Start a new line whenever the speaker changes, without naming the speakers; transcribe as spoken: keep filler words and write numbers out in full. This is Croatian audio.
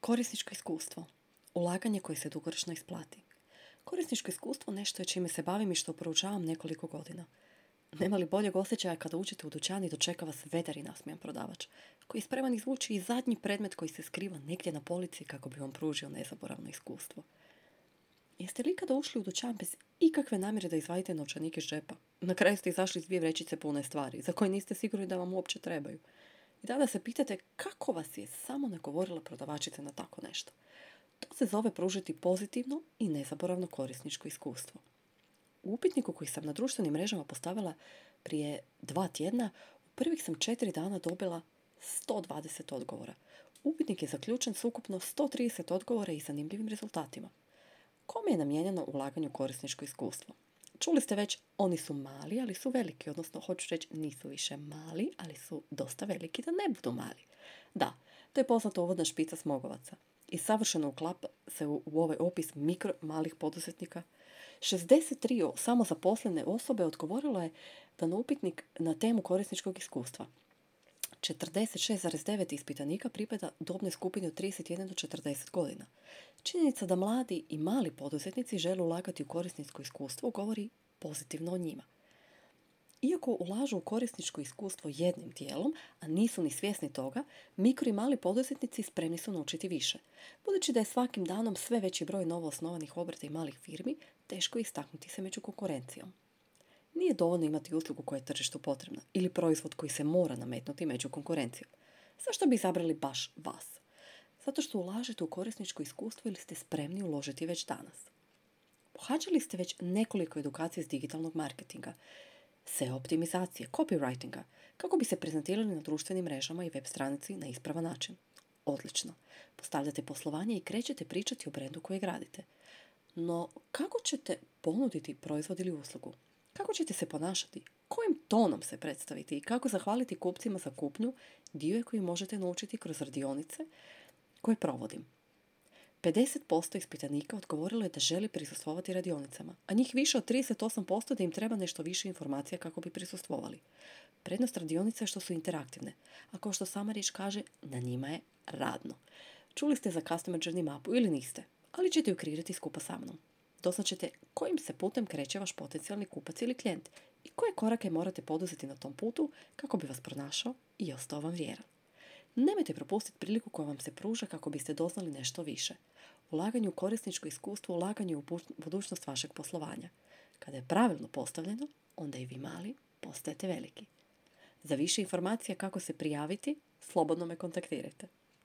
Korisničko iskustvo. Ulaganje koje se dugoročno isplati. Korisničko iskustvo nešto je čime se bavim i što proučavam nekoliko godina. Nema li boljeg osjećaja kada uđete u dućan i dočeka vas vedar i nasmijan prodavač, koji je spreman izvući i zadnji predmet koji se skriva negdje na polici kako bi vam pružio nezaboravno iskustvo. Jeste li ikada ušli u dućan bez ikakve namjere da izvadite novčanik iz džepa? Na kraju ste izašli s dvije vrećice pune stvari, za koje niste sigurni da vam uopće trebaju. I tada se pitate kako vas je samo nagovorila prodavačica na tako nešto. To se zove pružiti pozitivno i nezaboravno korisničko iskustvo. U upitniku koji sam na društvenim mrežama postavila prije dva tjedna, u prvih sam četiri dana dobila sto dvadeset odgovora. Upitnik je zaključen s ukupno sto trideset odgovora i zanimljivim rezultatima. Kome je namijenjeno ulaganje u korisničko iskustvo? Čuli ste već, oni su mali, ali su veliki, odnosno hoću reći nisu više mali, ali su dosta veliki da ne budu mali. Da, to je poznata uvodna špica smogovaca. I savršeno uklapa se u, u ovaj opis mikro malih poduzetnika. šezdeset tri samozaposlene osobe odgovorilo je da na upitnik na temu korisničkog iskustva. četrdeset šest zarez devet ispitanika pripada dobnoj skupini od trideset jedan do četrdeset godina. Činjenica da mladi i mali poduzetnici žele ulagati u korisničko iskustvo govori pozitivno o njima. Iako ulažu u korisničko iskustvo jednim dijelom, a nisu ni svjesni toga, mikro i mali poduzetnici spremni su naučiti više. Budući da je svakim danom sve veći broj novoosnovanih obrta i malih firmi, teško je istaknuti se među konkurencijom. Nije dovoljno imati uslugu koja je tržištu potrebna ili proizvod koji se mora nametnuti među konkurencijom. Zašto bi izabrali baš vas? Zato što ulažete u korisničko iskustvo ili ste spremni uložiti već danas. Pohađali ste već nekoliko edukacija iz digitalnog marketinga, S E O optimizacije, copywritinga, kako bi se prezentirali na društvenim mrežama i web stranici na ispravan način. Odlično. Postavljate poslovanje i krećete pričati o brendu koje gradite. No, kako ćete ponuditi proizvod ili uslugu? Kako ćete se ponašati? Kojim tonom se predstaviti i kako zahvaliti kupcima za kupnju, dio je koji možete naučiti kroz radionice koje provodim. pedeset posto ispitanika odgovorilo je da želi prisustvovati radionicama, a njih više od trideset osam posto da im treba nešto više informacija kako bi prisustvovali. Prednost radionica je što su interaktivne, a kao što sama riječ kaže, na njima je radno. Čuli ste za Customer Journey mapu ili niste, ali ćete ju kreirati skupa sa mnom. Doznaćete kojim se putem kreće vaš potencijalni kupac ili klijent i koje korake morate poduzeti na tom putu kako bi vas pronašao i ostao vam vjeran. Nemojte propustiti priliku koja vam se pruža kako biste doznali nešto više. Ulaganje u korisničko iskustvo, ulaganje u budućnost vašeg poslovanja. Kada je pravilno postavljeno, onda i vi mali postajete veliki. Za više informacija kako se prijaviti, slobodno me kontaktirajte.